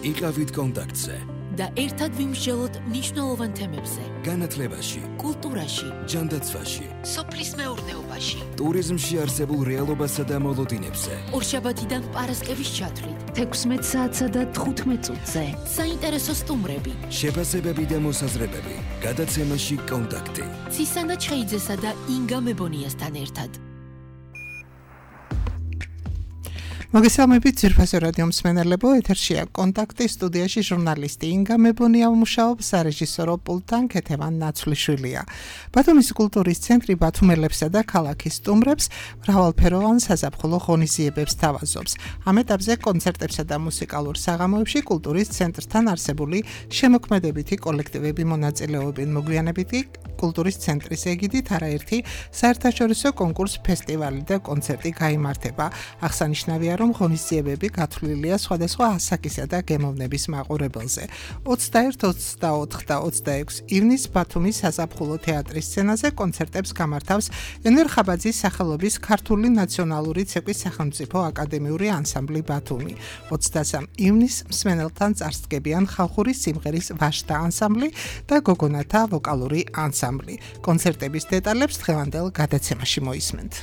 იყავით კონტაქტზე და ერთად ვიმსჯელოთ მნიშვნელოვან თემებზე. განათლებაში, კულტურაში, ჯანდაცვაში, სოფლის მეურნეობაში, ტურიზმში არსებულ რეალობასა და მოლოდინებზე. ორშაბათიდან პარასკევის ჩათვლით, 16 საათსა და 15 წუთზე. საინტერესო სტუმრები, შეფასებები და მოსაზრებები. გადაცემაში კონტაქტი. ცისანა ჩხეიძესა და ინგა მებონიასთან ერთად. მოგესალმებით ძვირფასო რადიო მსმენელებო, ეთერშია კონტაქტი, სტუდიაში ჟურნალისტი ინგა მებონია მუშაობს, სარეჟისორო პულტთან ქეთევან ნაცვლიშვილია. ბათუმის კულტურის ცენტრი ბათუმელებსა და ქალაქის სტუმრებს მრავალფეროვან საზაფხულო ღონისძიებებს თავაზობს. ამ ეტაპზე კონცერტებსა და მუსიკალურ საღამოებში კულტურის ცენტრთან არსებული შემოქმედებითი კოლექტივები მონაწილეობენ. მოგვიანებით კულტურის ცენტრის ეგიდით არაერთი საერთაშორისო კონკურს, ფესტივალი და კონცერტი გაიმართება. აღსანიშნავია, რომ ღონისძიებები გათვლილია სხვადასხვა ასაკისა და გემოვნების მაყურებელზე. 21, 24 და 26 ივნის ბათუმის საზაფხულო თეატრის სცენაზე კონცერტებს გამართავს ენვერ ხაბაძის სახელობის ქართული ნაციონალური ცეკვის სახელმწიფო აკადემიური ანსამბლი ბათუმი. 23 ივნის მსმენელთან წარსდგებიან ხალხური სიმღერის ვაშთა ანსამბლი და გოგონათა ვოკალური ანსამბლი. კონცერტების დეტალებს დღევანდელ გადაცემაში მოისმენთ.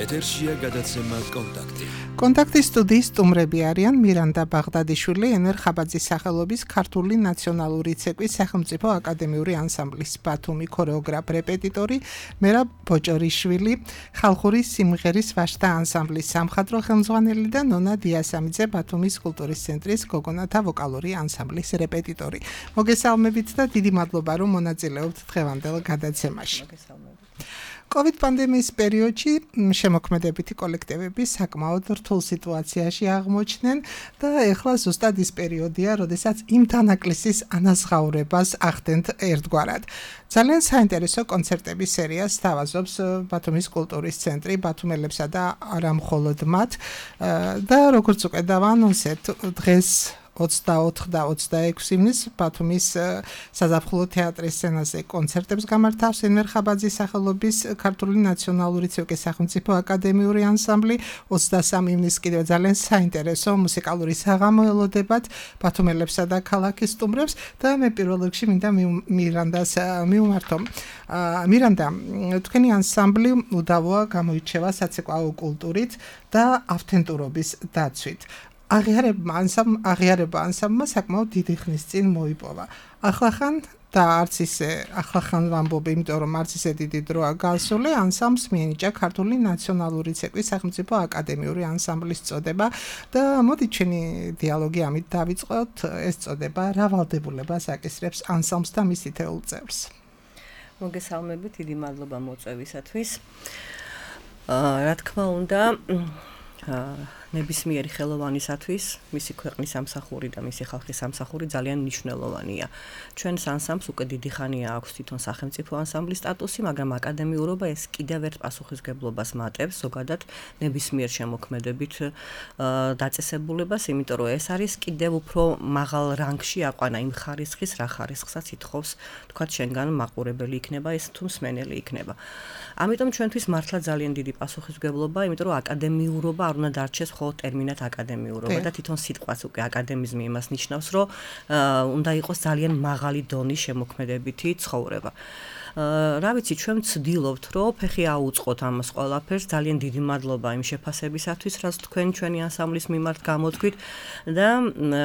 ეთერშია გადაცემა კონტაქტი. კონტაქტის სტუდიის სტუმრები არიან მირანდა ბაღდადიშვილი, ენვერ ხაბაძის სახელობის ქართული ნაციონალური ცეკვის სახელმწიფო აკადემიური ანსამბლის ბათუმი ქორეოგრაფ-რეპეტიტორი მერაბ ბოჭორიშვილი, ხალხური სიმღერის ვაშთა ანსამბლის სამხატვრო ხელმძღვანელი და ნონა დიასამიძე, ბათუმის კულტურის ცენტრის გოგონათა ვოკალური ანსამბლის რეპეტიტორი. მოგესალმებით და დიდი მადლობა, რომ მონაწილეობთ დღევანდელ გადაცემაში. COVID პანდემიის პერიოდში შემოქმედებითი კოლექტივები საკმაოდ რთულ სიტუაციაში აღმოჩნდნენ და ეხლა ზუსტად ის პერიოდია, როდესაც იმ თანაკლისის ანაზღაურებას ახდენთ ერთგვარად. ძალიან საინტერესო კონცერტების სერიას თავაზობს ბათუმის კულტურის ცენტრი ბათუმელებსა და არა მხოლოდ მათ და როგორც უკვე დავანონსეთ, დღეს 24 და 26 ივნის ბათუმის საზაფხულო თეატრის სცენაზე კონცერტებს გამართავს ენვერ ხაბაძის სახელობის ქართული ნაციონალური ცეკვის სახელმწიფო აკადემიური ანსამბლი. 23 ივნის კიდევ ძალიან საინტერესო მუსიკალური საღამო ელოდებათ ბათუმელებსა და ქალაქის სტუმრებს და მე პირველ რიგში მინდა მირანდას მივმართო. მირანდა, თქვენი ანსამბლი უდავოა გამოირჩევა საცეკვაო კულტურით და ავთენტურობის დაცვით. აღიარება ანსამბლმა საკმაოდ დიდი ხნის წინ მოიპოვა. ახლახან და არც ისე ახლახან ვამბობ, იმიტომ რომ არც ისე დიდი დროა გასული, ანსამბლს მიენიჭა ქართული ნაციონალური ცეკვის სახელმწიფო აკადემიური ანსამბლის წოდება და მოდი ჩვენი დიალოგი ამით დავიწყოთ. ეს წოდება რა ვალდებულებას აკისრებს ანსამბლს და მის თითოეულ წევრს? მოგესალმებით, დიდი მადლობა მოწვევისათვის. რა თქმა უნდა, ნებისმიერი ხელოვანისათვის მისი ქვეყნის სამსახური და მისი ხალხის სამსახური ძალიან მნიშვნელოვანია. ჩვენს ანსამბლს უკვე დიდი ხანია აქვს თვითონ სახელმწიფო ანსამბლის სტატუსი, მაგრამ აკადემიურობა ეს კიდევ ერთ პასუხისმგებლობას მატებს ზოგადად ნებისმიერ შემოქმედებით დაწესებულებას, იმიტომ რომ ეს არის კიდევ უფრო მაღალ რანგში აყვანა იმ ხარისხის, რა ხარისხსაც ითხოვს, თქვათ შენგან მაყურებელი იქნება ეს თუ მსმენელი იქნება. ამიტომ ჩვენთვის მართლა ძალიან დიდი პასუხისმგებლობა, იმიტომ რომ აკადემიურობა არ უნდა დარჩეს ხო ტერმინად აკადემიურობა და თვითონ სიტყვაც უკვე აკადემიზმი იმას ნიშნავს, რომ უნდა იყოს ძალიან მაღალი დონის შემოქმედებითი ცხოვრება. რა ვიცი, ჩვენ ვცდილობთ, რომ ფეხი აუწყოთ ამას ყველაფერს. ძალიან დიდი მადლობა იმ შეფასებისათვის, რაც თქვენ ჩვენი ანსამბლის მიმართ გამოთქვით და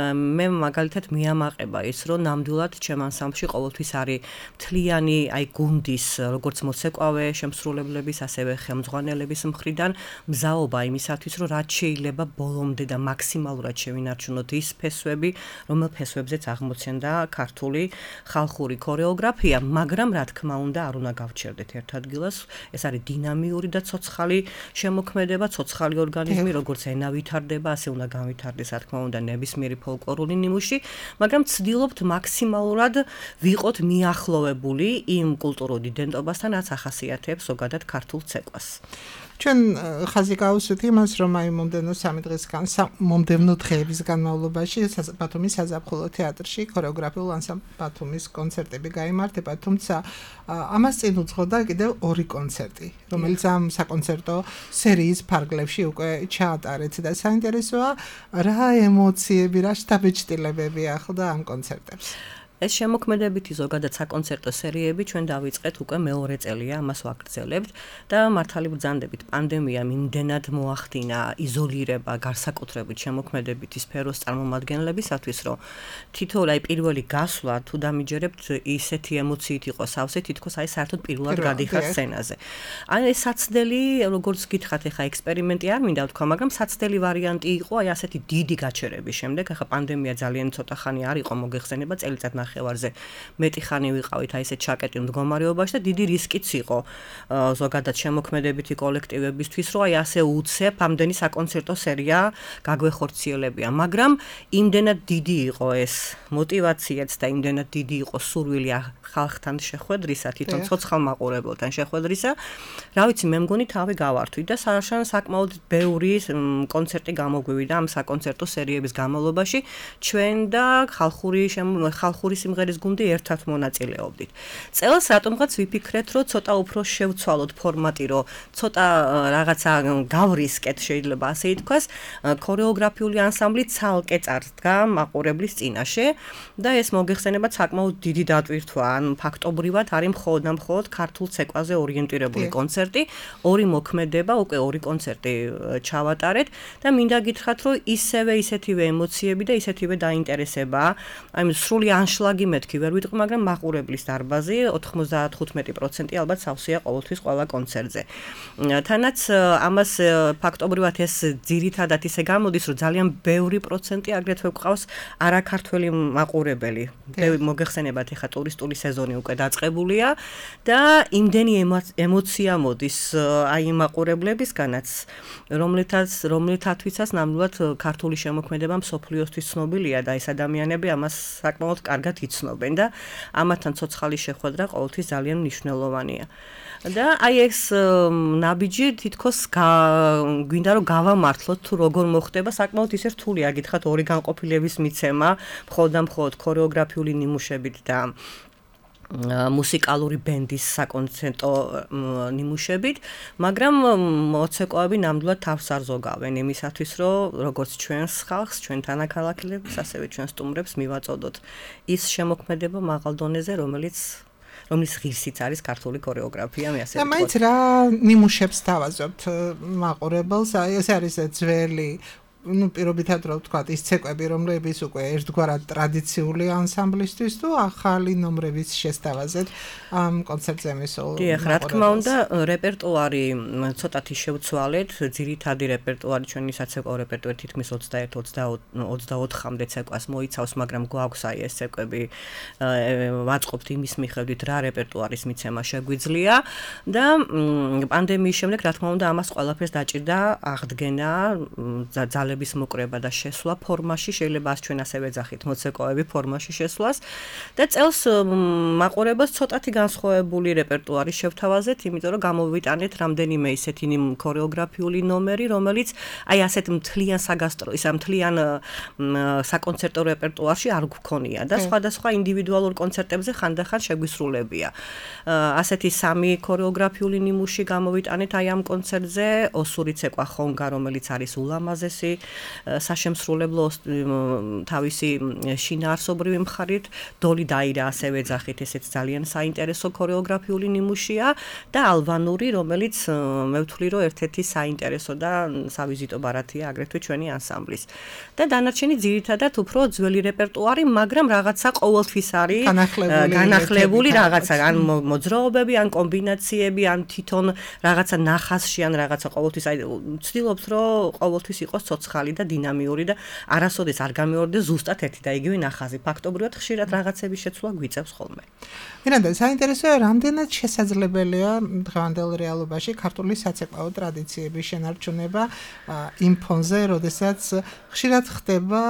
მე მაგალითად მიამაყება ის, რომ ნამდვილად ჩემ ანსამბლში ყოველთვის არის მთლიანი გუნდის, როგორც მოცეკვავე შემსრულებლების, ასევე ხელმძღვანელების მხრიდან მზაობა იმისათვის, რომ რაც შეიძლება ბოლომდე და მაქსიმალურად შევინარჩუნოთ ის ფესვები, რომელ ფესვებზეც აღმოცენდა ქართული ხალხური ქორეოგრაფია, მაგრამ რა თქმა უნდა არ უნდა გავჩერდეთ ერთ ადგილას. ეს არის დინამიური და ცოცხალი შემოქმედება, ცოცხალი ორგანიზმი, როგორც ენა ვითარდება, ასე უნდა განვითარდეს, რა თქმა უნდა, ნებისმიერი ფოლკლორული ნიმუში, მაგრამ ვცდილობთ მაქსიმალურად ვიყოთ მიახლოვებული იმ კულტურულ იდენტობასთან, რაც ახასიათებს ზოგადად ქართულ ცეკვას. ჩვენ ხაზი გავუსვით იმას, რომ აი მომდევნო 3 დღისგან, მომდევნო დღეების განმავლობაში ბათუმის საზაფხულო თეატრში ქორეოგრაფიულ ანსამბლ ბათუმის კონცერტები გაიმართება, თუმცა ამას წინ უძღოდა კიდევ 2 კონცერტი, რომელიც ამ საკონცერტო სერიის ფარგლებში უკვე ჩაატარეთ და საინტერესოა, რა ემოციები, რა შთაბეჭდილებები ახლდა ამ კონცერტებს. ეს შემოქმედებითი ზოგადად საკონცერტო სერიები ჩვენ დავიწყეთ უკვე მეორე წელია, ამას ვაგრძელებთ და მართალი ბრძანდებით პანდემიამ იმდენად მოახდინა იზოლირება განსაკუთრებით შემოქმედებითი სფეროს წარმომადგენლებისათვის, რომ თითოეულ აი პირველი გასვლა თუ დამიჯერებთ ისეთი ემოციით იყო სავსე, თითქოს აი საერთოდ პირველად გადიხარ სცენაზე. აი ეს საცდელი, როგორც გითხრათ, ეხა ექსპერიმენტი არ მინდა ვთქვა, მაგრამ საცდელი ვარიანტი იყო აი ასეთი დიდი გაჩერების შემდეგ, ეხა პანდემია ძალიან ცოტა ხანი არ იყო მოგეხსენება, წელიწად ნახევარზე მეტი ხანი ვიყავით აი ესეთ ჩაკეტილ მდგომარეობაში და დიდი რისკიც იყო ზოგადად შემოქმედებითი კოლექტივებისთვის, რომ აი ასე უცებ ამდენი საკონცერტო სერია გაგვეხორციელებია, მაგრამ იმდენად დიდი იყო ეს მოტივაციაც და იმდენად დიდი იყო სურვილი ხალხთან შეხვედრისა, თვითონ ცოცხალ მაყურებელთან შეხვედრისა, რა ვიცი, მე მგონი თავი გავართვით და საკმაოდ ბევრი კონცერტი გამოგვივიდა ამ საკონცერტო სერიების განმავლობაში, ჩვენ და ხალხური სიმღერის გუნდი ერთად მონაწილეობდით. წელს რატომღაც ვიფიქრეთ, რომ ცოტა უფრო შევცვალოთ ფორმატი, რომ ცოტა რაღაცა გავრისკეთ, შეიძლება ასე ითქვას, ქორეოგრაფიული ანსამბლი ცალკე წარდგა მაყურებლის წინაშე და ეს მოგეხსენებათ საკმაოდ დიდი დატვირთვა, ან ფაქტობრივად არის მხოლოდ ქართულ ცეკვაზე ორიენტირებული კონცერტი, 2 მოქმედება, უკვე 2 კონცერტი ჩავატარეთ და მინდა გითხრათ, რომ ისეთივე ემოციები და ისეთივე დაინტერესება, აი სრული ანშლაგი მეთქი ვერ ვიტყვი, მაგრამ მაყურებლის დარბაზი 95% ალბათ სავსეა ყოველთვის ყველა კონცერტზე. თანაც ამას ფაქტობრივად ეს ძირითადად ისე გამოდის, რომ ძალიან ბევრი პროცენტი აგრეთვე გვყავს არაქართველი მაყურებელი. მოგეხსენებათ, ეხა ტურისტული სეზონი უკვე დაწყებულია და იმდენი ემოცია მოდის აი მაყურებლებისგანაც, რომლითათვისაც ნამდვილად ქართული შემოქმედება მსოფლიოსთვის ცნობილია და ეს ადამიანები ამას საკმაოდ კარგად იცნობენ და ამათთან ცოცხალი შეხვედრა ყოველთვის ძალიან მნიშვნელოვანია. და აი ეს ნაბიჯი თითქოს გვინდა რომ გავამართლოთ თუ როგორ მოხდება, საკმაოდ ისე რთულია გითხრათ 2 განყოფილების მიცემა, მხოლოდ ქორეოგრაფიული ნიმუშებით და მუსიკალური ბენდის საკონცერტო ნიმუშებით, მაგრამ მოცეკვავები ნამდვილად თავს არ ზოგავენ იმისათვის, რომ როგორც ჩვენს ხალხს, ჩვენ თანაქალაქელებს, ასევე ჩვენ სტუმრებს მივაწოდოთ ის შემოქმედება მაღალ დონეზე, რომლის ღირსიც არის ქართული ქორეოგრაფია, მე ასე ვთქვი. და მაინც რა ნიმუშებს თავაზობთ მაყურებელს, ეს არის ძველი პირობითად რა ვთქვათ, ის ცეკვები, რომლებიც უკვე ერთგვარად ტრადიციული ანსამბლისთვის თუ ახალი ნომრების შესთავაზეთ ამ კონცერტზე მისულ. დიახ, რა თქმა უნდა, რეპერტუარი ცოტათი შევცვალეთ, ძირითადი რეპერტუარი ჩვენი საცეკვაო რეპერტუარი თითქმის 21-24-მდე ცეკვას მოიცავს, მაგრამ გვაქვს აი ეს ცეკვები, ვაწყობთ იმის მიხედვით, რა რეპერტუარის მიცემა შეგვიძლია და პანდემიის შემდეგ, რა თქმა უნდა, ამას ყველაფერს დაჭირდა აღდგენა, ძალების მოკრება და შესვლა ფორმაში, შეიძლება ჩვენ ასე ვეძახით, მოცეკვავები ფორმაში შესვლას და წელს მაყურებელს ცოტათი განსხვავებული რეპერტუარი შევთავაზეთ, იმიტომ რომ გამოვიტანეთ რამდენიმე ისეთი ქორეოგრაფიული ნომერი, რომელიც აი ასეთ მთლიან მთლიან საკონცერტო რეპერტუარში არ გვქონია და სხვადასხვა ინდივიდუალურ კონცერტებზე ხანდახან შეგვისრულებია. ასეთი 3 ქორეოგრაფიული ნიმუში გამოვიტანეთ აი ამ კონცერტზე, ოსური ცეკვა ხონგა, რომელიც არის ულამაზესი საშემსრულებლო თავისი შინაარსობრივი მხარით, დოლი დაირა ასევე ეძახით, ესეც ძალიან საინტერესო ქორეოგრაფიული ნიმუშია და ალბანური, რომელიც მე ვთვლი, რომ ერთ-ერთი საინტერესო და სავიზიტო ბარათია აგრეთვე ჩვენი ანსამბლის. და დანარჩენი ძირითადად უფრო ძველი რეპერტუარი, მაგრამ რაღაცა ყოველთვის არის განახლებული რაღაცა, ან მოძრაობები, ან კომბინაციები, ან თვითონ რაღაცა ნახასში, ან რაღაცა ყოველთვის აი ვცდილობთ, რომ ყოველთვის იყოს ცოცხალი და დინამიური და არასოდეს არ გამეორდეს ზუსტად ერთი და იგივე ნახაზი. ფაქტობრივად ხშირად რაღაცების შეცვლა გვიწევს ხოლმე. მირანდა, საინტერესოა, რამდენად შესაძლებელია დღევანდელ რეალობაში ქართული საცეკვაო ტრადიციების შენარჩუნება იმ ფონზე, როდესაც ხშირად ხდება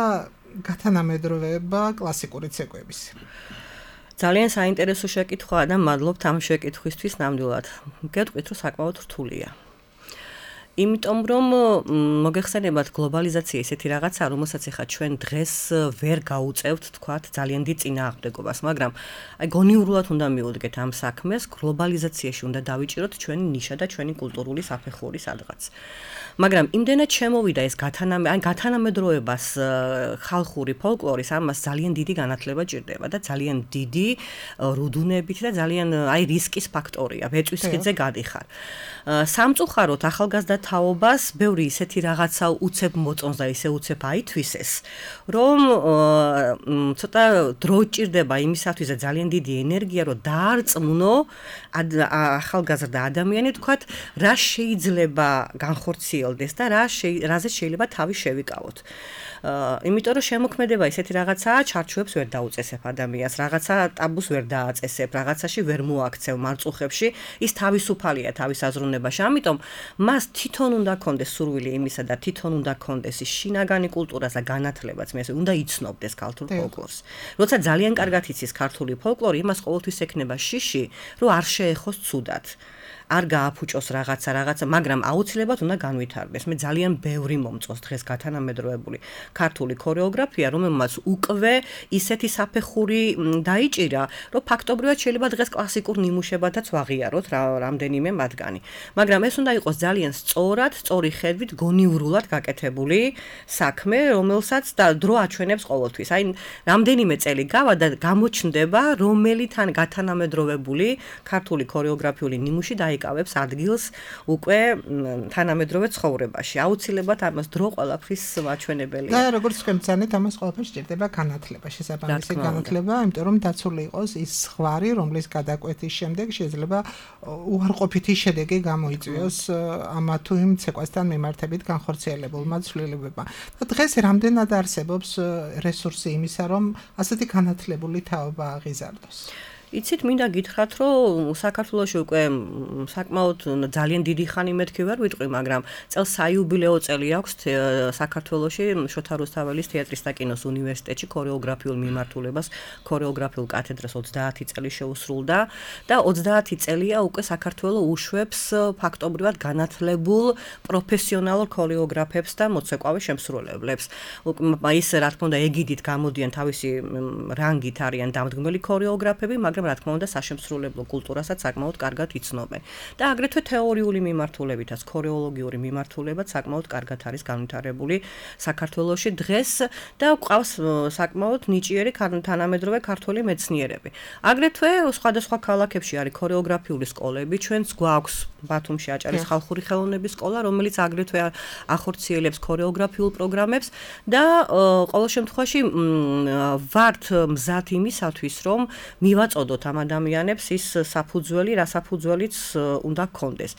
გათანამედროვეება კლასიკური ცეკვების. ძალიან საინტერესო შეკითხვაა და მადლობთ ამ შეკითხვისთვის ნამდვილად. გეტყვით, რომ საკმაოდ რთულია. იმიტომ რომ მოგეხსენებათ გლობალიზაცია ესეთი რაღაცა, რომელსაც ახლა ჩვენ დღეს ვერ გაუწევთ, თქვათ, ძალიან დიდ წინააღმდეგობას, მაგრამ აი გონიურულად უნდა მივუდგეთ ამ საქმეს, გლობალიზაციაში უნდა დავიჭიროთ ჩვენი ნიშა და ჩვენი კულტურული საფეხური სადღაც. მაგრამ იმდენად შემოვიდა ეს გათანამედროვებას ხალხური ფოლკლორის ამას ძალიან დიდი განათლება ჭირდება და ძალიან დიდი რუდუნებით და ძალიან აი რისკის ფაქტორია, ვეწვის ხიდზე გადიხარ. სამწუხაროდ ახალგაზრდა თაობას ბევრი ისეთი რაღაცა უცებ მოწონს და ისე უცებ აითვისეს, რომ ცოტა დრო ჭირდება იმისათვის და ძალიან დიდი ენერგია, რომ დაარწმუნო ახალგაზრდა ადამიანი, თქვათ, რა შეიძლება განხორციელდეს და რაზე შეიძლება თავი შევიკავოთ. იმიტომ რომ შემოქმედება ისეთი რაღაცაა, ჩარჩოებს ვერ დაუწესებ ადამიანს, რაღაცა ტაბუს ვერ დააწესებ, რაღაცაში ვერ მოაქცევ მარწუხებში, ის თავისუფალია თავის აზროვნებაში. ამიტომ მას თვითონ უნდა კონდეს სურვილი იმისა და თვითონ უნდა კონდეს ის შინაგანი კულტურას და განათლებაც, მე ასე უნდა იცნობდეს ქართულ ფოლკლორს. როცა ძალიან კარგად იცის ქართული ფოლკლორი, იმას ყოველთვის ექნება შიში, რომ არ შეეხოს ცუდად. არ გააფუჭოს რაღაცა, მაგრამ აუცილებლად უნდა განვითარდეს. მე ძალიან ბევრი მომწონს დღეს გათანამედროვებული ქართული ქორეოგრაფია, რომელმაც უკვე ისეთი საფეხური დაიჭირა, რომ ფაქტობრივად შეიძლება დღეს კლასიკურ ნიმუშებადაც ვაღიაროთ რამდენიმე მათგანი. მაგრამ ეს უნდა იყოს ძალიან სწორი ხედვით, გონიურულად გაკეთებული საქმე, რომელსაც და დრო აჩვენებს ყოველთვის. აი, რამდენიმე წელი გავა და გამოჩნდება, რომელი გათანამედროვებული ქართული ქორეოგრაფიული ნიმუში იკავებს ადგილს უკვე თანამედროვე ცხოვრებაში. აუცილებლად ამას დრო ყველაფრის მაჩვენებელია. და როგორც თქვენ ბრძანეთ, ამას ყველაფერს სჭირდება განათლება, შესაბამისი განათლება, იმიტომ რომ დაცული იყოს ის ზღვარი, რომლის გადაკვეთის შემდეგ შეიძლება უარყოფითი შედეგი გამოიწვიოს ამა თუ იმ ცეკვასთან მიმართებით განხორციელებულმა ცვლილებებმა. და დღეს რამდენად არსებობს რესურსი იმისა, რომ ასეთი განათლებული თაობა აღიზარდოს? იცით, მინდა გითხრათ, რომ საქართველოში უკვე საკმაოდ ძალიან დიდი ხანი მეთქი ვერ ვიტყვი, მაგრამ წელს საიუბილეო წელი აქვს საქართველოში შოთა რუსთაველის თეატრის და კინოს უნივერსიტეტში ქორეოგრაფიულ მიმართულებას, ქორეოგრაფიულ კათედრას 30 წელი შეუსრულდა და 30 წელია უკვე საქართველო უშვებს ფაქტობრივად განათლებულ პროფესიონალურ ქორეოგრაფებს და მოცეკვავე შემსრულებლებს. ის რა თქმა უნდა ეგიდით გამოდიან თავისი რანგით არიან დამდგმელი ქორეოგრაფები, მაგრამ რა თქმა უნდა საშემსრულებლო კულტურასაც საკმაოდ კარგად იცნობენ. და აგრეთვე თეორიული მიმართულებითაც, ქორეოლოგიური მიმართულებაც საკმაოდ კარგად არის განვითარებული საქართველოში დღეს და ყავს საკმაოდ ნიჭიერი თანამედროვე ქართველი მეცნიერები. აგრეთვე სხვადასხვა ქალაქებში არის ქორეოგრაფიული სკოლები, ჩვენც გვაქვს ბათუმში აჭარის ხალხური ხელოვნების სკოლა, რომელიც აგრეთვე ახორციელებს ქორეოგრაფიულ პროგრამებს და ყოველ შემთხვევაში ვართ მზად იმისათვის, რომ მივაწოდოთ ამ ადამიანებს ის საფუძველი, რა საფუძველიც უნდა გქონდეს.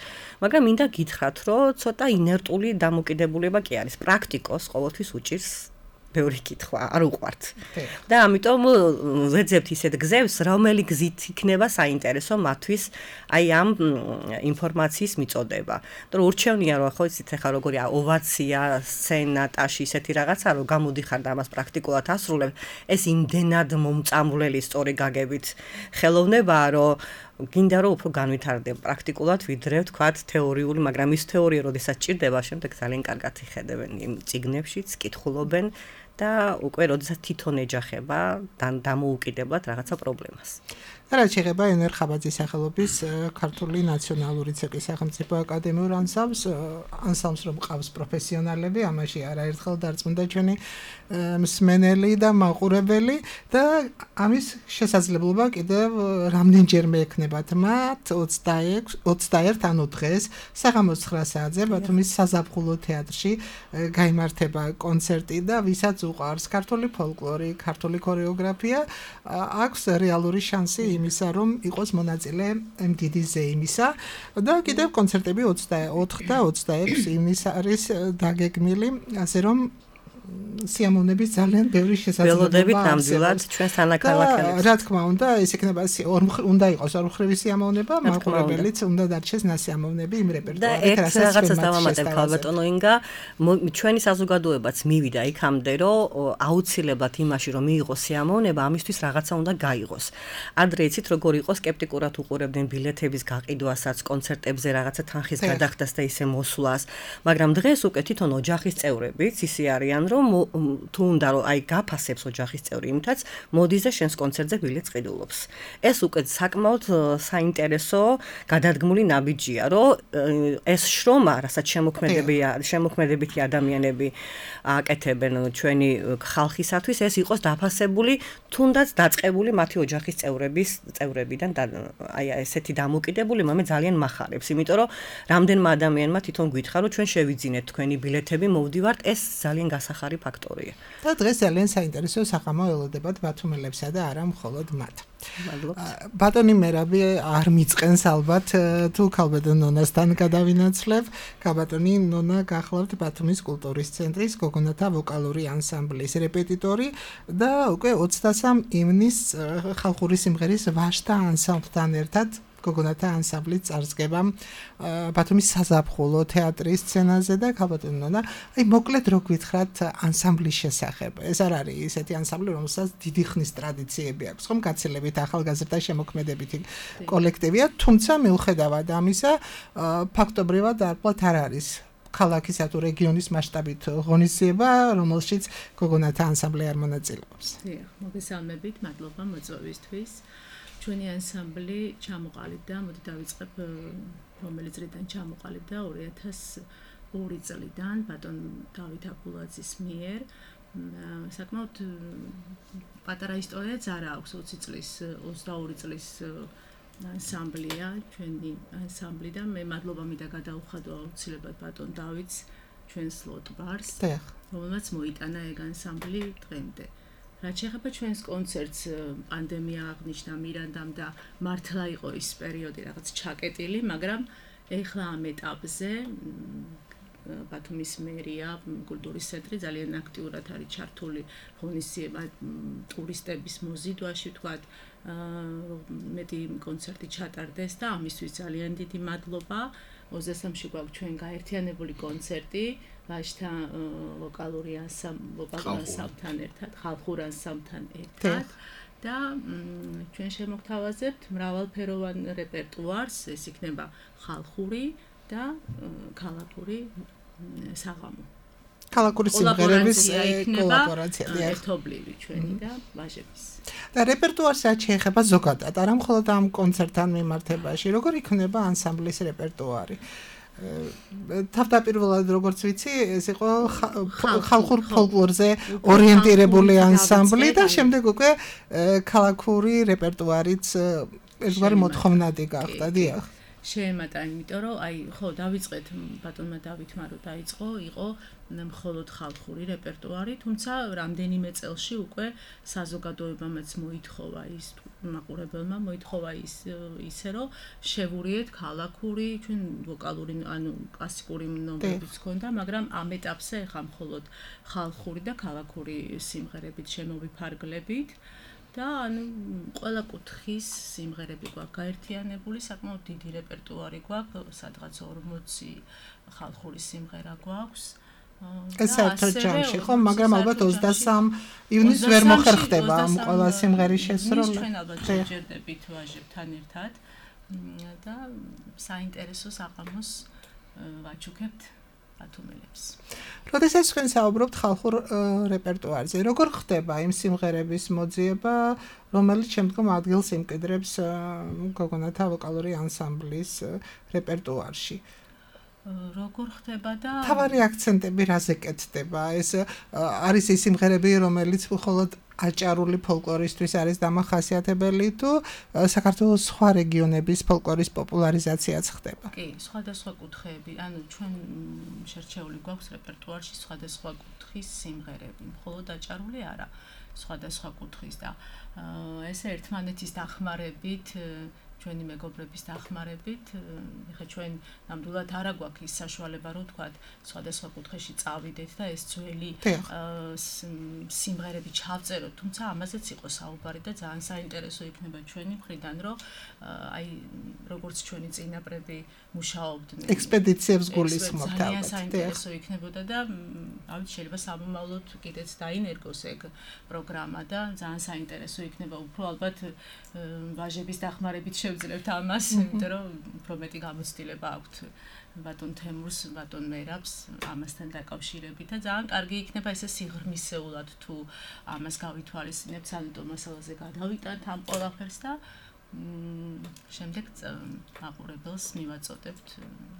მაგრამ მინდა გითხრათ, რომ ცოტა ინერტული დამოკიდებულება კი არის. პრაქტიკოს ყოველთვის უჭირს ბევრი კითხვა, არ უყვართ. და ამიტომ ვეძებთ ისეთ გზებს, რომელი გზით იქნება საინტერესო მათთვის აი ამ ინფორმაციის მიწოდება. და ურჩევნია, რომ ხო იცით ახლა როგორია ოვაცია, სცენა, ტაში ისეთი რაღაცა, რომ გამოდიხარ და ამას პრაქტიკულად ასრულებ, ეს იმდენად მომწამვლელი სწორი გაგებით ხელოვნებაა, რომ გინდა რომ უფრო განვითარდება პრაქტიკულად ვიდრე ვთქვათ თეორიული, მაგრამ ის თეორია როდესაც ჭირდება, შემდეგ ძალიან კარგად იხედებენ იმ წიგნებშიც, კითხულობენ და უკვე როდესაც თვითონ ეჯახება დამოუკიდებლად რაღაცა პრობლემას. რაც შეეხება ენერ ხაბაძის სახელობის ქართული ნაციონალური ცეკვის სახელმწიფო აკადემიურ ანსამბლს, რომ ყავს პროფესიონალები, ამაში არაერთხელ დარწმუნდა ჩვენი მსმენელი და მაყურებელი და ამის შესაძლებლობა კიდევ რამდენჯერმე ექნებათ მათ 21 ანუ დღეს საღამოს 9 საათზე ბათუმის საზაფხულო თეატრში გაიმართება კონცერტი და ვისაც უყვარს ქართული ფოლკლორი, ქართული ქორეოგრაფია, აქვს რეალური შანსი იმისა, რომ იყოს მონაწილე იმ დიდი ზეიმისა და კიდევ კონცერტები 24 და 26 ივნისს არის დაგეგმილი, ასე რომ სიამოვნების ძალიან ბევრი შესაძლებლობა ველოდებით ნამდვილად ჩვენს თანაქალაქელებს. რა თქმა უნდა, ეს იქნება უნდა იყოს ორმხრივი სიამოვნება, მაყურებელიც უნდა დარჩეს ნასიამოვნები იმ რეპერტუარით, რასაც რაღაცას დავამატებ ქალბატონო ინგა, ჩვენი საზოგადოებაც მივიდა იქამდე, რომ აუცილებლად იმაში რომ მიიღოს სიამოვნება, ამისთვის რაღაცა უნდა გაიღოს. ადრე იცით როგორ იყო სკეპტიკურად უყურებდნენ ბილეთების გაყიდვასაც, კონცერტებზე რაღაცა თანხის გადახდას და ისე მოსვლას, მაგრამ დღეს უკვე თვითონ ოჯახის წევრებიც ისე არიან, რომ თუ უნდა რომ აი გაფასებს ოჯახის წევრი იმითაც მოდის და შენს კონცერტზე ბილეთს ყიდულობს. ეს უკვე საკმაოდ საინტერესო გადადგმული ნაბიჯია, რომ ეს შრომა, რასაც შემოქმედებითი ადამიანები აკეთებენ ჩვენი ხალხისათვის, ეს იყოს დაფასებული, თუნდაც დაწყებული მათი ოჯახის წევრებიდან და აი ესეთი დამოკიდებული მე ძალიან მახარებს, იმიტომ რომ რამდენმა ადამიანმა თვითონ გითხრა, რომ ჩვენ შევიძინეთ თქვენი ბილეთები, მოვდივართ, ეს ძალიან გასახარი ფაქტორია. და დღეს ძალიან საინტერესო საღამო ელოდებათ ბათუმელებსა და არა მხოლოდ მათ. ბატონი მერაბი არ მიწყენს ალბათ თუ ქალბატონ ნონასთან გადავინაცვლებ. ქალბატონი ნონა გახლავთ ბათუმის კულტურის ცენტრის გოგონათა ვოკალური ანსამბლის რეპეტიტორი და უკვე 23 ივნის ხალხური სიმღერის ვაშთა ანსამბლთან ერთად გოგონათა ანსამბლი წარსდგება ბათუმის საზაფხულო თეატრის სცენაზე და ქალბატონი ნონა, აი მოკლედ რო გითხრათ ანსამბლის შესახებ. ეს არ არის ისეთი ანსამბლი, რომელსაც დიდი ხნის ტრადიციები აქვს, ხომ გაცილებით ახალგაზრდა შემოქმედებითი კოლექტივია, თუმცა მიუხედავად ამისა, ფაქტობრივად არყლად არ არის ქალაქისა თუ რეგიონის მასშტაბით ღონისძიება, რომელშიც გოგონათა ანსამბლი არ მონაწილეობს. დიახ, მოგესალმებით, მადლობა მოწვევისთვის. ჩვენი ანსამბლი ჩამოყალიბდა, მოდი დავიწყებ რომელი წლიდან ჩამოყალიბდა 2002 წლიდან ბატონ დავით აბულაძის მიერ. საკმაოდ პატარა ისტორიაც არ აქვს 20 წლის, 22 წლის ანსამბლია, ჩვენი ანსამბლი და მე მადლობა მინდა გადაუხადო აუცილებლად ბატონ დავითს, ჩვენს ლოტბარს, რომელმაც მოიტანა ეგ ანსამბლი დღემდე. რაც შეეხება ჩვენს კონცერტს, პანდემია აღნიშნა მირანდამ და მართლა იყო ის პერიოდი რაღაც ჩაკეტილი, მაგრამ ეხლა ამ ეტაპზე ბათუმის მერია, კულტურის ცენტრი ძალიან აქტიურად არის ჩართული ღონისძიება ტურისტების მოზიდვაში, ვთქვათ, მეტი კონცერტი ჩატარდეს და ამისთვის ძალიან დიდი მადლობა. 23-ში გვაქვს ჩვენ გაერთიანებული კონცერტი ვაშთა ვოკალური ანსამბლთან ერთად, ხალხურ ანსამბლთან ერთად და ჩვენ შემოგთავაზებთ მრავალფეროვან რეპერტუარს, ეს იქნება ხალხური და ქალაქური საღამო. ქალაქური სიმღერების კოლაბორაცია ერთობლივი ჩვენი და ვაჟების. და რეპერტუარს რაც შეეხება ზოგადად, არა მხოლოდ ამ კონცერტთან მიმართებაში, როგორ იქნება ანსამბლის რეპერტუარი? თავდაპირველად როგორც ვიცი, ეს იყო ხალხურ ფოლკლორზე ორიენტირებული ანსამბლი და შემდეგ უკვე ქალაქური რეპერტუარიც ერთგვარი მოთხოვნადი გახდა, დიახ. შეემატა, იმიტომ რომ აი ხო დავიწყეთ ბატონმა დავითმა რომ დაიწყო, იყო მხოლოდ ხალხური რეპერტუარი, თუმცა რამდენიმე წელში უკვე საზოგადოებამაც მოითხოვა ის მაყურებელმა მოითხოვა ისე რომ შევურიეთ ქალაქური, ჩვენ ვოკალური ანუ კლასიკური ნომრებიც ჰქონდა, მაგრამ ამ ეტაპზე ხა მხოლოდ ხალხური და ქალაქური სიმღერებით შემოვიფარგლებით. და ანუ ყველა კუთხის სიმღერები გვაქვს გაერთიანებული, საკმაოდ დიდი რეპერტუარი გვაქვს, სადღაც 40 ხალხური სიმღერა გვაქვს. ეს საერთოდ ჯამში ხო, მაგრამ ალბათ 23 ივნის ვერ მოხერხდება ამ ყველა სიმღერის შესრულება. ჩვენ ალბათ შეჯერდებით ვაჟებთან ერთად და საინტერესო საღამოს ვაჩუქებთ ბათუმელებს. როდესაც თქვენ საუბრობთ ხალხურ რეპერტუარზე, როგორ ხდება იმ სიმღერების მოძიება, რომელიც შემდგომ ადგილს იმკვიდრებს გოგონათა ვოკალური ანსამბლის რეპერტუარში? როგორ ხდება და თავარი აქცენტები რაზე კეთდება? ეს არის ის სიმღერები, რომელიც მხოლოდ აჭარული ფოლკლორისთვის არის დამახასიათებელი თუ საქართველოს სხვა რეგიონების ფოლკლორის პოპულარიზაციაც ხდება? კი, სხვადასხვა კუთხეები, ანუ ჩვენ შერჩეული გვაქვს რეპერტუარში სხვადასხვა კუთხის სიმღერები, მხოლოდ აჭარული არა, სხვადასხვა კუთხის და ესე ერთმანეთის დახმარებით ჩვენი მეგობრების დახმარებით, ეხლა ჩვენ ნამდვილად არ აგვაქვს ის საშუალება, რომ თქვა სხვადასხვა კუთხეში წავიდეთ და ეს ძველი სიმღერები ჩავწეროთ, თუმცა ამაზეც იყო საუბარი და ძალიან საინტერესო იქნება ჩვენი მხრიდან, რომ აი როგორც ჩვენი წინაპრები მუშაობდნენ ექსპედიციებს გულისხმობთ. ძალიან საინტერესო იქნებოდა და ავით შეიძლება სამომავლოდ კიდეც დაინერგოს ეგ პროგრამა და ძალიან საინტერესო იქნება უფრო ალბათ ვაჟების დახმარებით შევძლებთ ამას, იმიტომ რომ უფრო მეტი გამოცდილება აქვთ ბატონ თემურს, ბატონ მერაბს ამასთან დაკავშირებით და ძალიან კარგი იქნება ესე სიღრმისეულად თუ ამას გავითვალისწინებთ, სანიტო მასალაზე გადავიტანთ ამ ყველაფერს და შემდეგ მაყურებელს მივაწოდებთ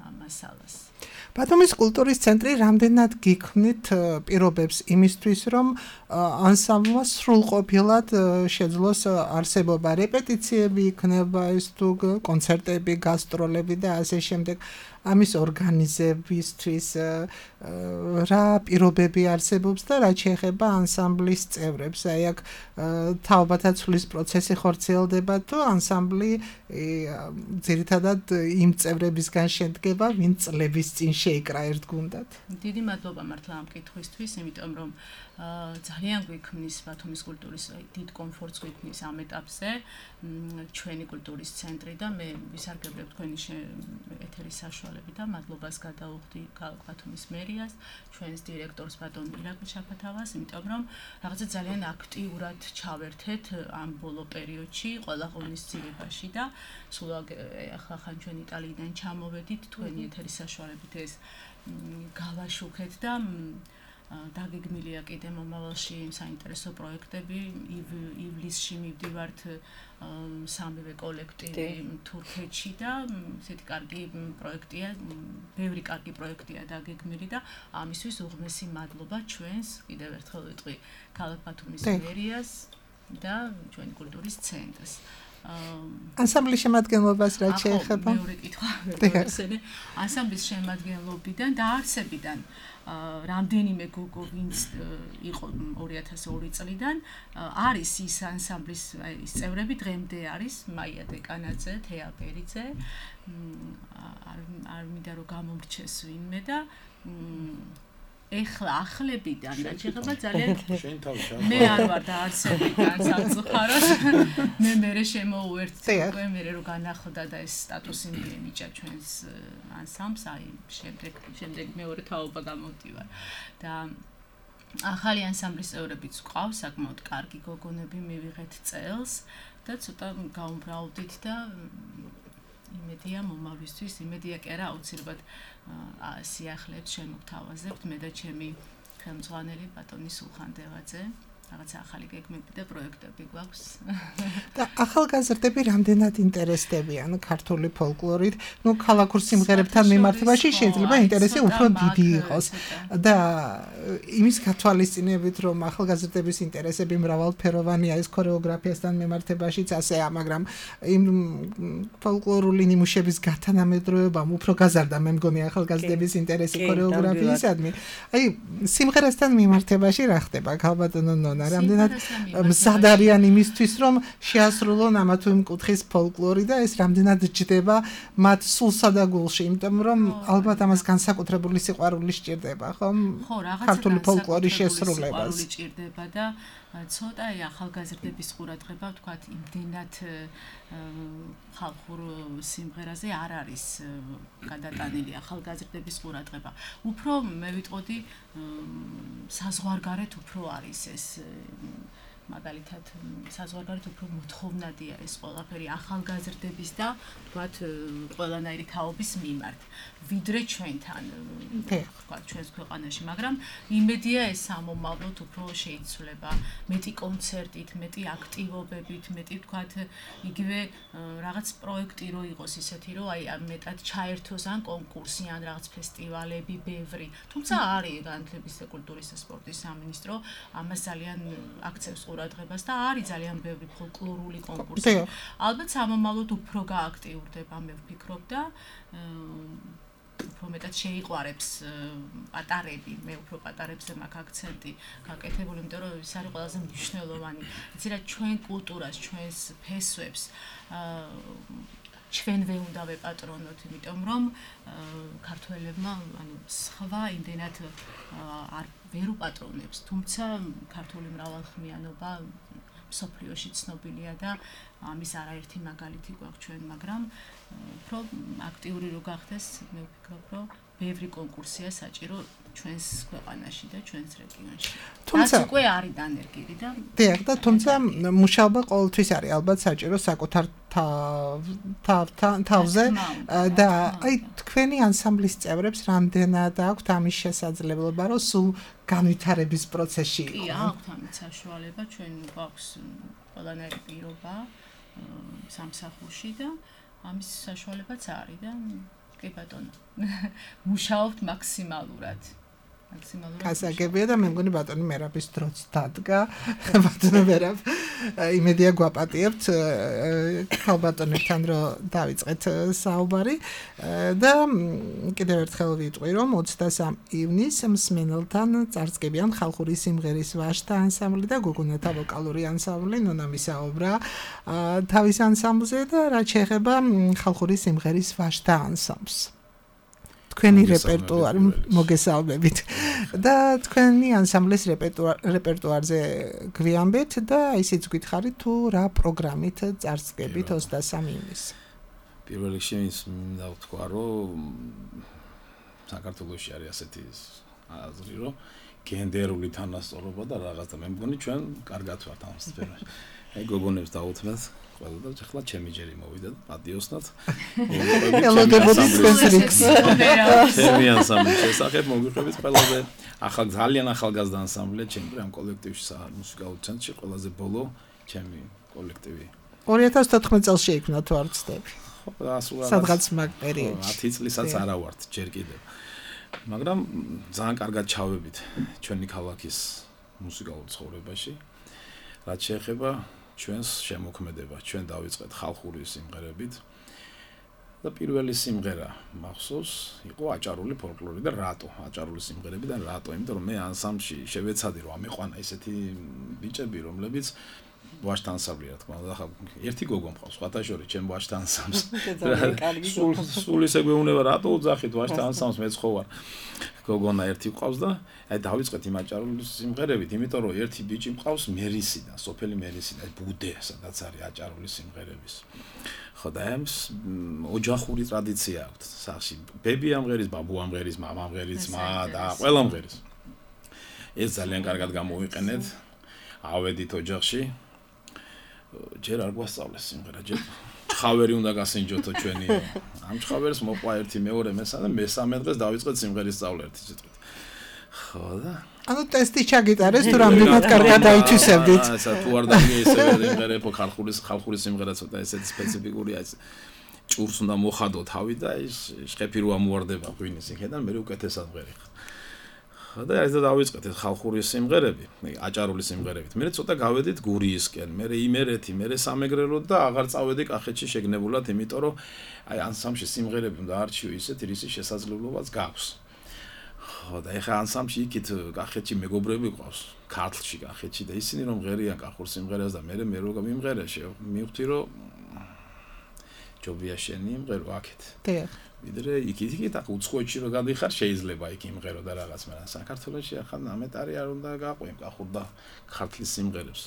ამ მასალას. ბათუმის კულტურის ცენტრი რამდენად გიქმნით პირობებს იმისთვის, რომ ანსამბლმა სრულყოფილად შეძლოს არსებობა, რეპეტიციები იქნება ის თუ კონცერტები, გასტროლები და ასე შემდეგ. ამის ორგანიზებისთვის რა პირობები არსებობს და რა შეეხება ანსამბლის წევრებს. აი აქ თაობათა ცვლის პროცესი ხორციელდება თუ ანსამბლი ძირითადად იმ წევრებისგან შედგება, ვინც წლების წინ შეიკრა ერთ გუნდად. დიდი მადლობა მართლა ამ კითხვისთვის, იმიტომ რომ ძალიან გვიქმნის ბათუმის კულტურის დიდ კომფორტს გვიქმნის ამ ეტაპზე ჩვენი კულტურის ცენტრი და მე ვისარგებლებ თქვენი ეთერის საშუალებით და მადლობას გადაუხდი ქალაქ ბათუმის მერიას, ჩვენს დირექტორს ბატონ ირაკლი შაფათავას, იმიტომ რომ რაღაცა ძალიან აქტიურად ჩავერთეთ ამ ბოლო პერიოდში ყველა ღონისძიებაში და სულ ახლა ჩვენ იტალიიდან ჩამოვედით, თქვენი ეთერის საშუალებით ეს გავაშუქეთ და დაგეგმილია კიდე მომავალში საინტერესო პროექტები. ივლისში მივდივართ სამივე კოლექტივი თურქეთში და ესეთი კარგი პროექტია, ბევრი კარგი პროექტია დაგეგმილი და ამისთვის უღმესი მადლობა ჩვენს კიდევ ერთხელ ვიტყვი ქალაქ ბათუმის მერიას და ჩვენი კულტურის ცენტრს. ანსამბლის შემადგენლობას რა შეეხება? მეორე კითხვა. ანსამბლის შემადგენლობიდან და არსებიდან რამდენიმე გოგო ვინც იყო 2002 წლიდან არის ის ანსამბლის ის წევრები დღემდე არის მაია დეკანაძე, თეა ბერიძე, არ მინდა რომ გამომრჩეს ვინმე და ეხლა ახლებიდან და შეიძლება ძალიან მე არ ვარ დაარსებიდან სამწუხაროდ მე მერე შემოუერთდი უკვე მერე რომ განახლდა და ეს სტატუსი მიენიჭა ჩვენს ანსამბლს აი შემდეგ მეორე თაობა გამოვდივარ და ახალი ანსამბლის წევრებიც გვყავს საკმაოდ კარგი გოგონები მივიღეთ წელს და ცოტა გაუმბრაუდით და იმედია მომავლისთვის, იმედია კი არა აუცილებლად სიახლეებს შემოგთავაზებთ მე და ჩემი ხელმძღვანელი ბატონი სულხან დევაძე. რაღაცა ახალი გეგმები და პროექტები გვაქვს. და ახალგაზრდები რამდენად ინტერესდებიან ქართული ფოლკლორით? ნუ ქალაქურ სიმღერებთან მიმართებაში შეიძლება ინტერესი უფრო დიდი იყოს. და იმის გათვალისწინებით, რომ ახალგაზრდების ინტერესები მრავალფეროვანია ეს ქორეოგრაფიასთან მიმართებაშიც ასეა, მაგრამ იმ ფოლკლორული ნიმუშების გათანამედროვებამ უფრო გაზარდა მე მგონი ახალგაზრდების ინტერესი ქორეოგრაფიისადმი. აი სიმღერასთან მიმართებაში რა ხდება? ქალბატონო რამდენად მზად არიან იმისთვის, რომ შეასრულონ ამა თუ იმ კუთხის ფოლკლორი და ეს რამდენად ჯდება მათ სულსა და გულში, იმიტომ რომ ალბათ ამას განსაკუთრებული სიყვარული სჭირდება, ხომ? ხო, ქართული ფოლკლორის შესრულებას. სიყვარული სჭირდება და ცოტა ახალგაზრდების ყურადღება, ვთქვათ, იმდენად ხალხურ სიმღერაზე არ არის გადატანილი ახალგაზრდების ყურადღება. უფრო მე ვიტყოდი საზღვარგარეთ უფრო არის ეს მაგალითად საზღვარგარეთ უფრო მოთხოვნადია ეს ყველაფერი ახალგაზრდების და ვთქვათ ყველანაირი თაობის მიმართ ვიდრე ჩვენთან ვთქვათ ჩვენს ქვეყანაში, მაგრამ იმედია ეს სამომავლოდ უფრო შეიცვლება მეტი კონცერტით, მეტი აქტივობებით, მეტი ვთქვათ იგივე რაღაც პროექტი რო იყოს ისეთი, რომ აი მეტად ჩაერთოს ან კონკურსი ან რაღაც ფესტივალები ბევრი, თუმცა არის განათლების და კულტურის და სპორტის სამინისტრო ამას ძალიან აქცევს ყურადღებას და არის ძალიან ბევრი ფოლკლორული კონკურსი. ალბათ სამომავლოდ უფრო გააქტიურდება, მე ვფიქრობ და უფრო მეტად შეიყვარებს პატარები, მე უფრო პატარებზე მაქვს აქცენტი გაკეთებული, იმიტომ რომ ის არის ყველაზე მნიშვნელოვანი. იცი რა, ჩვენ კულტურას, ჩვენს ფესვებს ჩვენვე უნდა ვეპატრონოთ, იმიტომ რომ ქართველებმა სხვა იმდენად ვერ უპატრონებს, თუმცა ქართული მრავალხმიანობა მსოფლიოში ცნობილია და ამის არაერთი მაგალითი გვაქვს ჩვენ, მაგრამ უფრო აქტიური რო გახდეს, მე ვფიქრობ, რომ ბევრი კონკურსია საჭირო ჩვენს ქვეყანაში და ჩვენს რეგიონში. თუმცა უკვე არის დანერგილი და დიახ, და თუმცა მუშაობა ყოველთვის არის ალბათ საჭირო საკუთარ თავზე და აი თქვენი ანსამბლის წევრებს რამდენად აქვთ ამის შესაძლებლობა, რომ სულ განვითარების პროცესში იყოს? კი, აქვთ ამით საშუალება, ჩვენ გვაქვს ყველანაირი პირობა სამსახურში და ამის საშუალებაც არის და კი ბატონო, მუშაობთ მაქსიმალურად. გასაგებია და მე მგონი ბატონი მერაბის დროც დადგა. ბატონო მერაბ, იმედია გვაპატიებთ ქალბატონებთან რომ დავიწყეთ საუბარი და კიდევ ერთხელ ვიტყვი რომ 23 ივნისს მსმენელთან წარსდგებიან ხალხური სიმღერის ვაშთა ანსამბლი და გოგონათა ვოკალური ანსამბლი ნონა მისაუბრა თავის ანსამბლზე და რაც შეეხება ხალხური სიმღერის ვაშთა ანსამბლს. თქვენი რეპერტუარი მოგესალმებით და თქვენი ანსამბლის რეპერტუარზე გვიამბეთ და ისიც გითხარით თუ რა პროგრამით წარსდგებით 23 ივნისს. პირველ რიგში მინდა ვთქვა, რომ საქართველოში არის ასეთი აზრი, რომ გენდერული თანასწორობა და რაღაც და მე მგონი ჩვენ კარგად ვართ ამ სფეროში. აი გოგონებს დაუთმეთ ყველა და ახლა ჩემი ჯერი მოვიდა და პატიოსნად. ელოდებოდი თქვენს რიგს. ჩემი ანსამბლის შესახებ მოგიყვებით ყველაზე ძალიან ახალგაზრდა ანსამბლია ჩემი ამ კოლექტივში მუსიკალურ ცენტრში ყველაზე ბოლო ჩემი კოლექტივი. 2014 წელს შეიქმნა თუ არ ვცდები. სადღაც მაგ პერიოდში. 10 წლისაც არა ვართ ჯერ კიდევ. მაგრამ ძალიან კარგად ჩავებით ჩვენი ქალაქის მუსიკალურ ცხოვრებაში. რაც შეეხება ჩვენს შემოქმედებას, ჩვენ დავიწყეთ ხალხური სიმღერებით და პირველი სიმღერა მახსოვს იყო აჭარული ფოლკლორი და რატო აჭარული სიმღერები და რატო? იმიტომ რომ მე ანსამბლში შევეცადი რომ ამეყვანა ესეთი ბიჭები, რომლებიც ვაშთა ანსამბლი რა თქმა უნდა, ხა ერთი გოგო მყავს, სხვათა შორის ჩემ ვაშთა ანსამბლს. სულ ისე გვეუბნება რატო უძახით ვაშთა ანსამბლს, მეც ხო ვარ. გოგონა ერთი მყავს და აი დავიწყეთ იმ აჭარული სიმღერებით, იმიტომ რომ ერთი ბიჭი მყავს მერისიდან, სოფელი მერისიდან, ბუდე, სადაც არის აჭარული სიმღერების. ხო და ამს ოჯახური ტრადიცია აქვს სახში. ბები ამღერის, ბაბუ ამღერის, მამა ამღერის, და ყველა ამღერის. ეს ძალიან კარგად გამოვიყენეთ. ავედით ოჯახში. ჯერ არ გვასწავლეს სიმღერა, ჯერ ხავერი უნდა გასინჯოთო ჩვენი. ამ ხავერს მოყვა ერთი, მეორე, მესამე, მესამე დღეს დავიწყეთ სიმღერის სწავლა ერთი სიტყვით. ხო და ანუ ტესტი ჩაგიტარეს თუ რამდენად კარგად დაითვისებდით. ასე თუ არ დაგია ესე სიმღერებო ხალხური სიმღერა ცოტა ესეთი სპეციფიკურია. ჭურს უნდა მოხადო თავი და ის შეხები რო ამუარდება ღვინის იქიდან მე უკეთესად ვღერიხ. და ეს დავიწყეთ ეს ხალხური სიმღერები, აჭარული სიმღერებით. მე ცოტა გავედით გურიისკენ, მე იმერეთი, მე სამეგრელო და აღარ წავედი კახეთში შეგნებულად, იმიტომ რომ აი ანსამბლში სიმღერები უნდა არჩიო ისეთ რისი შესაძლებლობაც გაქვს. ხო და ეხა ანსამბლში იქით კახეთში მეგობრები ყავს, ქართლში კახეთში და ისინი რომ ღერიან კახურ სიმღერას და მე რო მიმღერე მივხვდი რომ ჯობია შენი იმღერო აქეთ. დიახ. ვიდრე იქით აქ უცხოეთში რო გადიხარ შეიძლება იქ იმღერო და რაღაც, მაგრამ საქართველოში ახლა ამეტარი არ უნდა გაყვი კახურ და ქართლის სიმღერებს.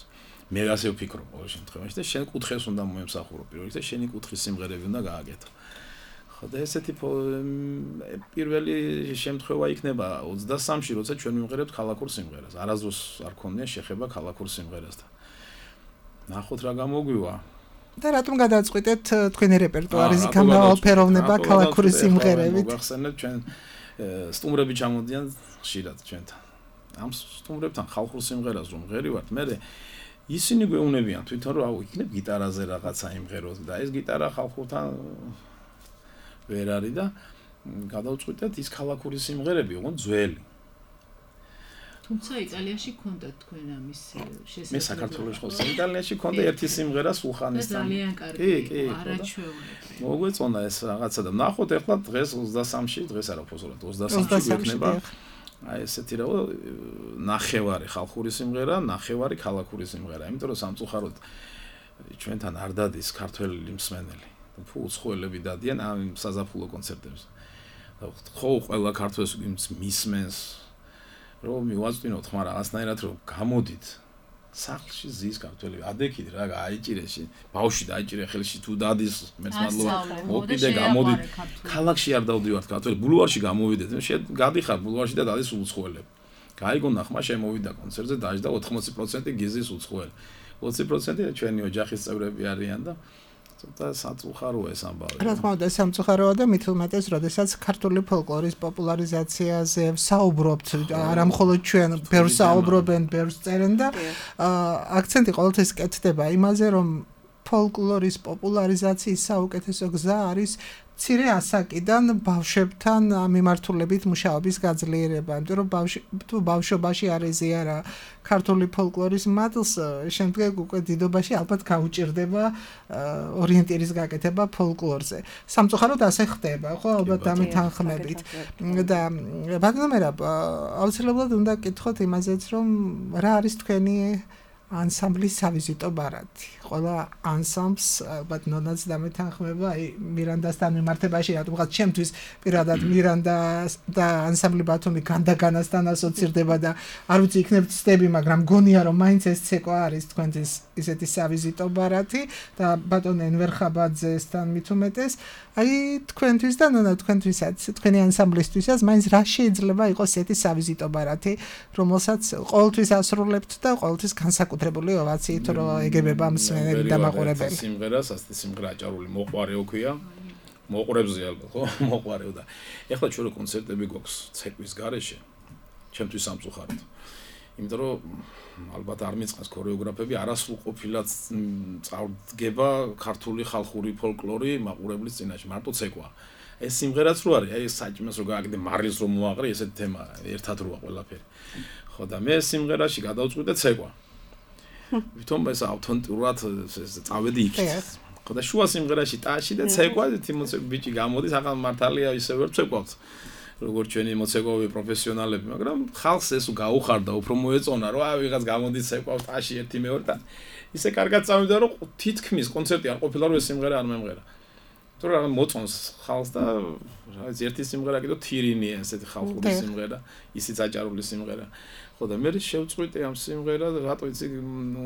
მე ასე ვფიქრობ ყოველ შემთხვევაში და შენ კუთხეს უნდა მოემსახურო პირველ რიგში და შენი კუთხის სიმღერები უნდა გააკეთო. ხო და ესეთი პირველი შემთხვევა იქნება 23-ში, როცა ჩვენ ვიმღერებთ ქალაქურ სიმღერას. არასდროს არ ქონია შეხება ქალაქურ სიმღერასთან. ნახოთ რა გამოგვივა. და რატომ გადაწყვიტეთ თქვენი რეპერტუარის გამავალფეროვნება ქალაქური სიმღერებით? მოგახსენებთ ჩვენ სტუმრები ჩამოდიან ხშირად ჩვენთან. ამ სტუმრებთან ხალხურ სიმღერას რომ ღერივართ, მე ისინი გვეუბნებიან თვითონ რომ აუ იქნებ გიტარაზე რაღაცა იმღეროთ და ეს გიტარა ხალხურთან ვერ არის და გადავწყვიტეთ ის ქალაქური სიმღერები ოღონდ ძველი. თუმცა იტალიაში ქონდა თქვენ ამის შესაძლებლობა. მე საქართველოში ხო იტალიაში ქონდა ერთი სიმღერა სულხანისთან. ძალიან კარგი. კი, არაჩვეულებრივი. მოგვეწონა ეს რაღაცა და ნახოთ ეხლა დღეს 23-ში, დღეს არა ფოზოლად 23-ში გვექნება. აი ესეთი რა ნახევარი ხალხური სიმღერა, ნახევარი ქალაქური სიმღერა. იმიტომ რომ სამწუხაროდ ჩვენთან არ დადის ქართველი მსმენელი. უცხოელები დადიან ამ საზაფხულო კონცერტებზე. ხო ყველა ქართველს მისმენს რომ მივაწვინოთ, მაგრამ რაღაცნაირად რომ გამოდით სახლში ზის ქართველები ადექით რა აიჭირეში ბავშვი დაიჭირე ხელში თუ დადის მეც მადლობა მოკიდე გამოდით ქალაქში არ დავდივართ ქართველები ბულვარში გამოვიდეთ გადიხარ ბულვარში და დადის უცხოელები გაიგონა ხმა შემოვიდა კონცერტზე დაждდა 80% გიზის უცხოელი 20% ჩვენი ოჯახის წევრები არიან და ცოტა საწუხაროა ეს ამბავი. რა თქმა უნდა, სამწუხაროა და მით უმეტეს, როდესაც ქართული ფოლკლორის პოპულარიზაციაზე საუბრობთ, არა მხოლოდ ჩვენ, ბევრს საუბრობენ, ბევრს წერენ და აქცენტი ყოველთვის კეთდება იმაზე, რომ ფოლკლორის პოპულარიზაციის საუკეთესო გზა არის მცირე ასაკიდან ბავშვებთან მიმართულებით მუშაობის გაძლიერება, იმიტომ რომ თუ ბავშვობაში არ ეზიარა ქართული ფოლკლორის მადლს, შემდეგ უკვე დიდობაში ალბათ გაუჭირდება ორიენტირის გაკეთება ფოლკლორზე. სამწუხაროდ ასე ხდება, ხო, ალბათ დამეთანხმებით. და ბატონო მერაბ, აუცილებლად უნდა გკითხოთ იმაზეც, რომ რა არის თქვენი ანსამბლის სავიზიტო ბარათი. ყველა ანსამბლს ალბათ ნონაც დამეთანხმება, აი მირანდასთან მიმართებაში, რატომღაც ჩემთვის პირადად მირანდა და ანსამბლი ბათუმი განდაგანასთან ასოცირდება და არ ვიცი იქნებ ცდები, მაგრამ გონია რომ მაინც ეს ცეკვა არის თქვენთვის ისეთი სავიზიტო ბარათი და ბატონ ენვერ ხაბაძესთან მით უმეტეს, აი თქვენთვის და ნონა თქვენთვისაც, თქვენი ანსამბლისთვისაც მაინც რა შეიძლება იყოს ესეთი სავიზიტო ბარათი, რომელსაც ყოველთვის ასრულებთ და ყოველთვის განსაკუთრებული ოვაციით რო ეგებება მსმენელი და მაყურებელი. სიმღერას, ასეთი სიმღერა აჭარული მოყვარეო ქვია. მოყურებზე ალბათ, ხო? მოყვარეო და ეხლა ჩვენ რო კონცერტები გვაქვს ცეკვის გარეშე, ჩემთვის სამწუხაროდ. იმიტომ რომ ალბათ არ მიწყენს ქორეოგრაფები, არასრულყოფილად წარდგება ქართული ხალხური ფოლკლორი მაყურებლის წინაშე, მარტო ცეკვა. ეს სიმღერაც რო არის, აი საჭმელს რო გააკეთე, მარილს რო მოაყრე, ესეთი თემა ერთად როა ყველაფერი. ხო და მე სიმღერაში გადავწყვიტე ცეკვა. ვითომ ეს ავთენტურად წავედი იქით. ხო და შუა სიმღერაში ტაში და ცეკვა, თიმოცე ბიჭი გამოდის, ახალ მართალია ისე ვერ ცეკვავთ. როგორც ჩვენი მოცეკვავი პროფესიონალები, მაგრამ ხალხს ეს გაუხარდა, უფრო მოეწონა, რომ აი ვიღაც გამოდის ცეკვავს ტაში ერთი მეორე და ისე კარგად წავიდა, რომ თითქმის კონცერტი არ ყოფილა, რომ ეს სიმღერა არ მემღერა. თუ რა მოწონს ხალხს და რა ვიცი ერთი სიმღერა კიდო თირინია, ესეთი ხალხური სიმღერა, ისიც აჭარული სიმღერა. ხო და მე შევწყვიტე ამ სიმღერას, რატო იცი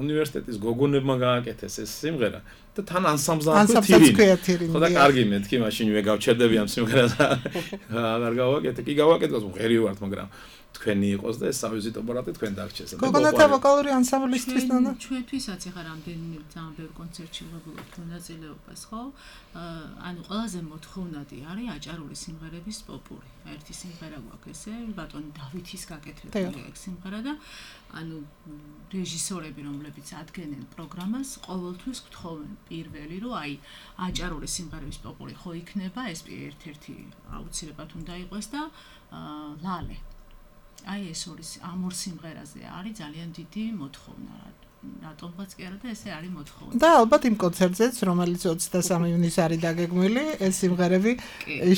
უნივერსიტეტის გოგონებმა გააკეთეს ეს სიმღერა და თან ანსამბლს თირინი. ხო და კარგი მეთქი, მაშინ ვეგავჩერდები ამ სიმღერას. აღარ გავაკეთე, კი გავაკეთე, ღერი ვართ, მაგრამ თქვენი იყოს და ეს სავიზიტო ბარათი თქვენ დაგჭეს. გოგონათა ვოკალური ანსამბლისთვის ნონა? ჩვენთვისაც ეხა რამდენიმე ძალიან ბევრ კონცერტში ვღებულობთ მონაწილეობას, ხო? ანუ ყველაზე მოთხოვნადი არის აჭარული სიმღერების პოპური. ერთი სიმღერა გვაქვს ესე, ბატონ დავითის გაკეთებული ეგ სიმღერა და ანუ რეჟისორები, რომლებიც ადგენენ პროგრამას, ყოველთვის გთხოვენ პირველი, რომ აი აჭარული სიმღერების პოპური ხო იქნება, ეს ერთ-ერთი აუცილებლად უნდა იყოს და ლალე. აი ეს ორი ამ ორ სიმღერაზე არის ძალიან დიდი მოთხოვნა. რატომღაც კი არა და ესე არის მოთხოვნა. და ალბათ იმ კონცერტზეც, რომელიც 23 ივნისს არის დაგეგმილი, ეს სიმღერები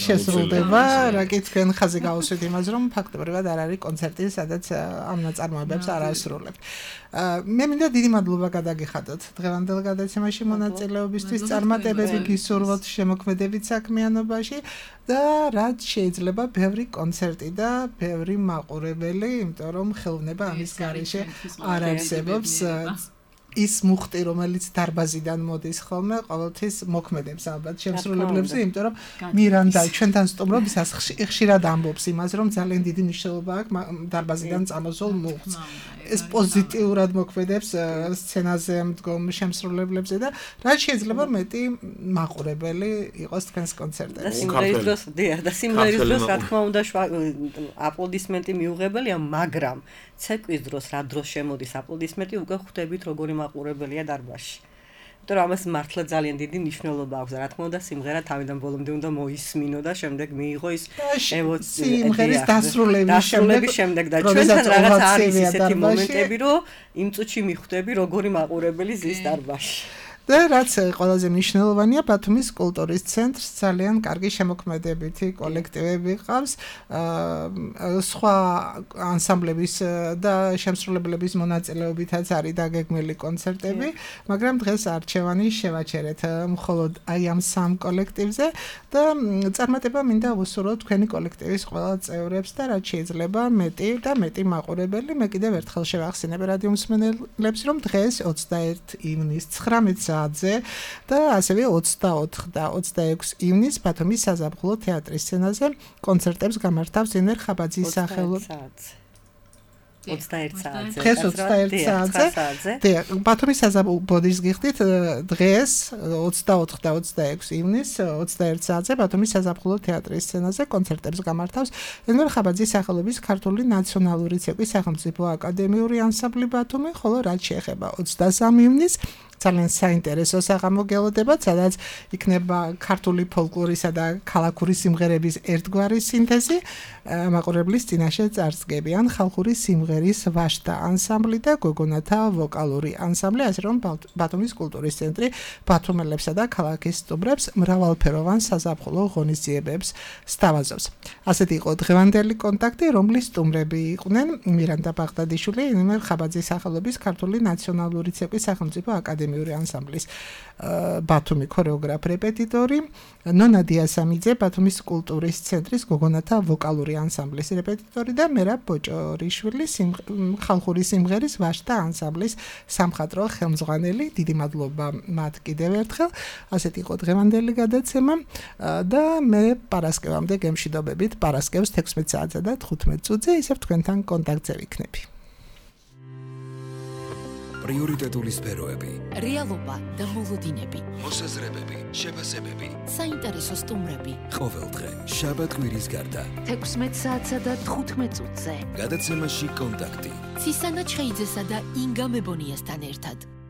შესრულდება, რა კი თქვენ ხაზი გაუსვით იმას, რომ ფაქტობრივად არ არის კონცერტი, სადაც ამ ნაწარმოებებს არ ასრულებთ. მე მინდა დიდი მადლობა გადაგიხადოთ დღევანდელ გადაცემაში მონაწილეობისთვის, წარმატებები გისურვოთ შემოქმედებით საქმიანობაში და რაც შეიძლება ბევრი კონცერტი და ბევრი მაყურებელი, იმიტომ რომ ხელოვნება ამის გარეშე არ არსებობს. ის მუხტი, რომელიც დარბაზიდან მოდის ხოლმე, ყოველთვის მოქმედებს ალბათ შემსრულებლებზე, იმიტომ რომ მირანდა ჩვენთან სტუმრობისას ხშირად ამბობს იმას, რომ ძალიან დიდი მნიშვნელობა აქვს დარბაზიდან წამოსულ მუხტს. ეს პოზიტიურად მოქმედებს სცენაზე მდგომ შემსრულებლებზე და რაც შეიძლება მეტი მაყურებელი იყოს თქვენს კონცერტებში. და სიმღერის დროს, და სიმღერის დროს რა თქმა უნდა აპლოდისმენტი მიუღებელია, მაგრამ ცეკვის დროს რა დროს შემოდის აპლოდისმენტი, უკვე ხვდებით როგორი მაყურებელია დარბაზში. იმიტომ რომ ამას მართლა ძალიან დიდი მნიშვნელობა აქვს. რა თქმა უნდა, სიმღერა თავიდან ბოლომდე უნდა მოისმინო და შემდეგ მიიღო ის სიმღერის დასრულების შემდეგ და ჩვენთან რაღაც არის ისეთი მომენტები, რომ იმ წუთში მიხვდები როგორი მაყურებელი ზის დარბაზში. და რაც ყველაზე მნიშვნელოვანია, ბათუმის კულტურის ცენტრს ძალიან კარგი შემოქმედებითი კოლექტივები ყავს, სხვა ანსამბლების და შემსრულებლების მონაწილეობითაც არის დაგეგმილი კონცერტები, მაგრამ დღეს არჩევანი შევაჩერეთ მხოლოდ აი ამ სამ კოლექტივზე და წარმატება მინდა უსურვოთ თქვენი კოლექტივის ყველა წევრებს და რაც შეიძლება მეტი და მეტი მაყურებელი. მე კიდევ ერთხელ შევახსენებ რადიო მსმენელებს, რომ დღეს 21 ივნის 19 და ასევე 24 და 26 ივნის ბათუმის საზაფხულო თეატრის სცენაზე კონცერტებს გამართავს ინერ ხაბაძის სახელობის 21 საათზე. დღეს 21 საათზე. ბათუმის საზაფხულო ბოდის გიხდით დღეს 24 და 26 ივნის 21 საათზე ბათუმის საზაფხულო თეატრის სცენაზე კონცერტებს გამართავს ინერ ხაბაძის სახელობის ქართული ნაციონალური ცეკვის სახელმწიფო აკადემიური ანსამბლი ბათუმი, ხოლო რაც შეეხება 23 ივნის ძალიან საინტერესო საღამოგელოდება, სადაც იქნება ქართული ფოლკლორისა და ქალაქური სიმღერების ერთგვარი სინთეზი, მაყურებლის წინაშე წარსდგებიან ხალხური სიმღერის ვაშთა ანსამბლი და გოგონათა ვოკალური ანსამბლი, ასე რომ ბათუმის კულტურის ცენტრი ბათუმელებსა და ქალაქის სტუმრებს მრავალფეროვან საზაფხულო ღონისძიებებს სთავაზობს. ასეთი იყო დღევანდელი კონტაქტი, რომლის სტუმრები იყვნენ მირანდა ბაღდადიშვილი, ინემერ ხაბაძის სახელობის ქართული ნაციონალური ცეკვის სახელმწიფო აკადემიური ანსამბლის ბათუმი ქორეოგრაფ რეპეტიტორი, ნონა დიასამიძე ბათუმის კულტურის ცენტრის გოგონათა ვოკალური ანსამბლის რეპეტიტორი და მერაბ ბოჭორიშვილი ხალხური სიმღერის ვაშთა ანსამბლის სამხატვრო ხელმძღვანელი. დიდი მადლობა მათ კიდევ ერთხელ. ასეთი იყო დღევანდელი გადაცემა და მე პარასკევამდე გემშვიდობებით პარასკევს 16 საათზე და 15 წუთზე ისევ თქვენთან კონტაქტზე ვიქნები. პრიორიტეტული სფეროები, რეალობა და მოლოდინები, მოსაზრებები, შეფასებები, საინტერესო სტუმრები. ყოველდღე შაბათ-კვირის გარდა 16 საათსა და 15 წუთზე. გადაცემაში კონტაქტი. ცისანა ჩხეიძესა და ინგა მებონიასთან ერთად.